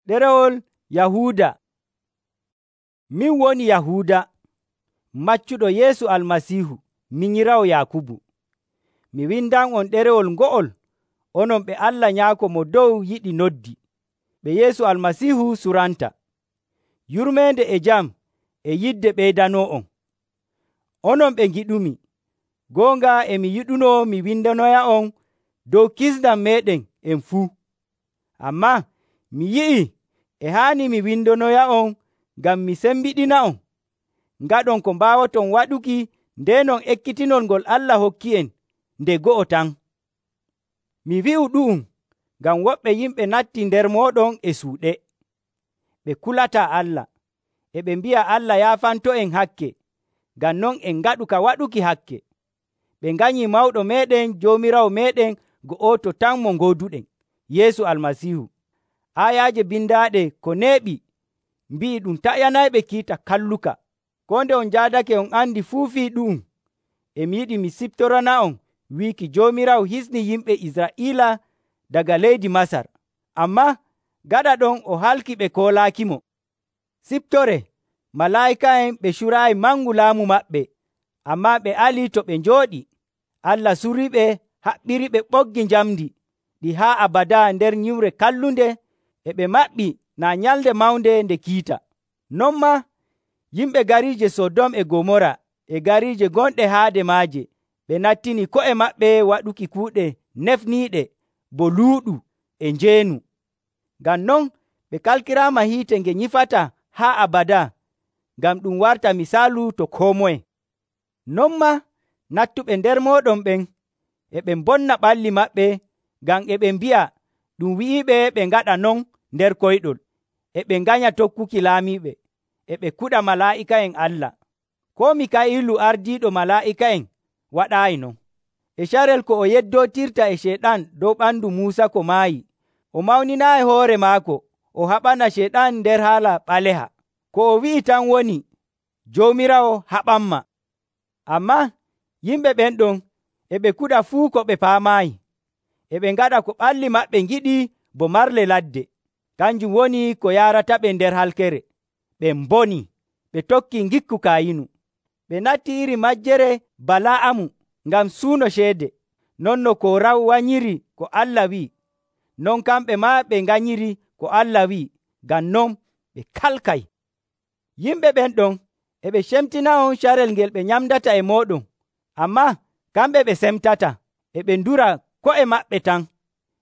Ɗerewol Yahuuda. Min woni Yahuuda, maccuɗo Yeesu Almasiihu, minyiraawo Yaakubu. Mi windan'on ɗerewol ngo'ol, onon ɓe Allah Nyaako Mo Dow yiɗi noddi, ɓe Yeesu Almasiihu suranta. Yurmeende e jam e yidde ɓeydanoo'on. Onon ɓe ngiɗumi, goonga e mi yiɗuno mi windanoya'on dow kisndam meeɗen en fuu. Ammaa mi yi'ii e haani mi windanoya'on ngam mi sembiɗina'on, ngaɗon ko mbaawoton waɗuki ndeenon ekkitinol ngol Allah hokki'en nde go'o tan. Mi wi'u ɗu'um ngam woɓɓe yimɓe nattii nder mooɗon e suuɗe. Ɓe kulataa Allah, e ɓe mbi'a Allah yaafanto'en hakke, ngam non en ngaɗu ka waɗuki hakke. Ɓe nganyii mawɗo meeɗen Joomiraawo meeɗen go'oto tan mo ngooduɗen, Yeesu Almasiihu. Aayaaje bindaaɗe ko neeɓi mbi'i ɗum taƴanayɓe kiita kalluka. Koo nde on njaadake on andi fuu fii ɗu'um, e mi yiɗi mi siftorana'on wiiki Joomiraawo hisni yimɓe Israa'iila daga leydi Masar, ammaa gaɗa ɗon o halki ɓe koolaakimo. Siftoree, malaa'ika'en ɓe curaayi mangu laamu maɓɓe, ammaa ɓe alii to ɓe njooɗi. Allah suriiɓe haɓɓiriɓe ɓoggi njamndi ɗi haa abadaa nder nyiwre kallunde, e ɓe maɓɓi naa nyalnde mawnde nde kiita. Non maa yimɓe gariije Sodom e Gomora e gariije gonɗe haade maaje, ɓe nattini ko'e maɓɓe waɗuki kuuɗe nefniiɗe bo luuɗu e njeenu. Ngam non ɓe kalkiraama hiite nge nyifataa haa abadaa, ngam ɗum warta misaalu to koo moye. Non maa nattuɓe nder mooɗon ɓen e ɓe mbonna ɓalli maɓɓe, ngam e ɓe mbi'a ɗum wi'iiɓe ɓe ngaɗa non nder koyɗol, e ɓe nganya tokkuki laamiiɓe, e ɓe kuɗa malaa'ika'en Allah. Koo Mika'iilu ardiiɗo malaa'ika'en waɗaayi non. E carel ko o yeddootirta e Ceyɗan dow ɓandu Muusa ko maayi, o mawninaayi hoore maako o haɓana Ceyɗan nder haala ɓaleha. Ko o wi'i tan woni, Joomiraawo haɓanmaa. Ammaa yimɓe ɓen ɗon e ɓe kuɗa fuu ko ɓe paamaayi, e ɓe ngaɗa ko ɓalli maɓɓe ngiɗi bo marle ladde, kanjum woni ko yaarataɓe nder halkere. Ɓe mbonii, ɓe tokkii ngikku Kaayinu. Ɓe natti iri majjere Bala'amu ngam suuno ceede, non no Kooraw wanyiri ko Allah wi'i. Non kamɓe maa ɓe nganyiri ko Allah wi'i, ngam non ɓe kalkay. Yimɓe ɓen ɗon e ɓe cemtina'on carel ngel ɓe nyamdata e mooɗon, ammaa kamɓe ɓe semtata, e ɓe ndura ko'e maɓɓe tan.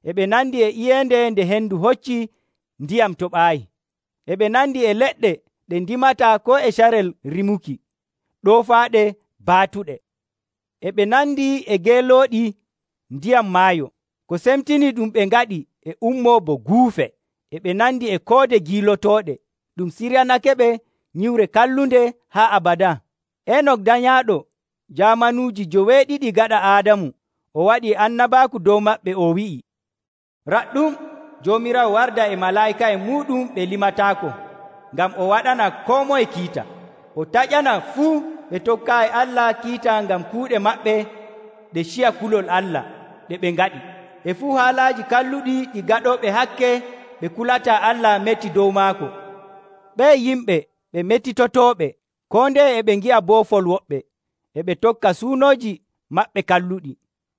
E ɓe nandi e iyeende nde hendu hocci ndiyam toɓaayi. E ɓe nandi e leɗɗe ɗe ndimataa koo e carel rimuki, ɗoofaaɗe baatuɗe. E ɓe nandi e geelooɗi ndiyam maayo. Ko semtini ɗum ɓe ngaɗi e ummoo bo guufe. E ɓe nandi e koode giilotooɗe, ɗum siryanakeɓe nyiwre kallunde haa abadaa. Enok danyaaɗo jaamanuuji 70 gaɗa Aadamu, o waɗii annabaaku dow maɓɓe, o wi'i, raɗɗum Joomiraawo warda e malaa'ika'en muuɗum ɓe limataako, ngam o waɗana koo moye kiita. O taƴana fuu ɓe tokkaayi Allah kiita ngam kuuɗe maɓɓe ɗe ciya kulol Allah ɗe ɓe ngaɗi. E fuu haalaaji kalluɗi ɗi gaɗooɓe hakke ɓe kulataa Allah meti dow maako. Ɓee yimɓe ɓe metitotooɓe, koo ndeye e ɓe ngi'a boofol woɓɓe, e ɓe tokka suunooji maɓɓe kalluɗi,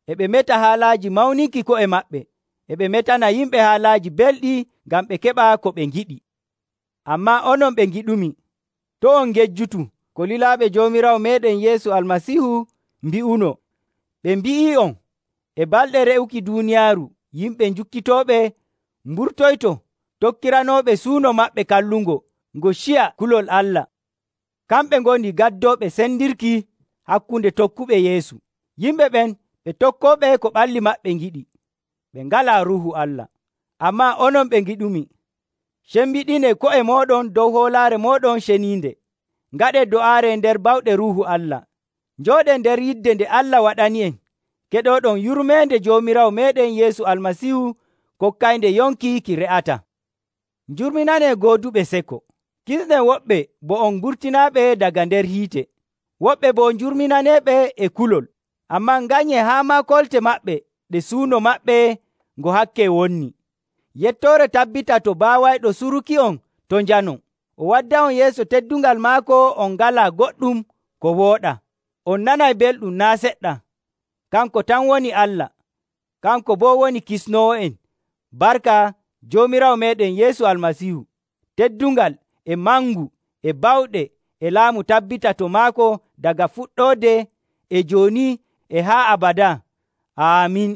e ɓe meta haalaaji mawninki ko'e maɓɓe, e ɓe metana yimɓe haalaaji belɗi ngam ɓe keɓa ko ɓe ngiɗi. Ammaa onon ɓe ngiɗumi, to on ngejjutu ko lilaaɓe Joomiraawo meeɗen Yeesu Almasiihu mbi'uno. Ɓe mbi'i'on e balɗe re'uki duuniyaaru yimɓe njukkitooɓe mburtoyto tokkiranooɓe suuno maɓɓe kallungo ngo ciya kulol Allah. Kamɓe ngoni gaddooɓe sendirki hakkunde tokkuɓe Yeesu. Yimɓe ɓen ɓe tokkooɓe ko ɓalli maɓɓe ngiɗi. Ɓe ngalaa Ruuhu Allah. Ammaa onon ɓe ngiɗumi, cembiɗinee ko'e mooɗon dow hoolaare mooɗon ceniinde. Ngaɗee do'aare nder bawɗe Ruuhu Allah. Njooɗee nder yidde nde Allah waɗani'en, keɗooɗon yurmeende Joomiraawo meeɗen Yeesu Almasiihu kokkaynde yonki ki re'ataa. Njurminanee gooduɓe seko. Kisnen woɓɓe bo on mburtinaaɓe daga nder hiite. Woɓɓe bo njurminaneeɓe e kulol. Ammaa nganyee haa maa kolte maɓɓe ɗe suuno maɓɓe ngo hakke wonni. Yettoore tabbita to baawayɗo suruki'on to njanon. O wadda'on yeeso teddungal maako on ngalaa goɗɗum ko wooɗaa. On nanay belɗum naa' seɗɗa. Kanko tan woni Allah. Kanko boo woni Kisnoowo'en. Barka Joomiraawo meeɗen Yeesu Almasiihu. Teddungal e mangu e bawɗe e laamu tabbita to maako daga fuɗɗoode e jooni e haa abadaa. Aamin.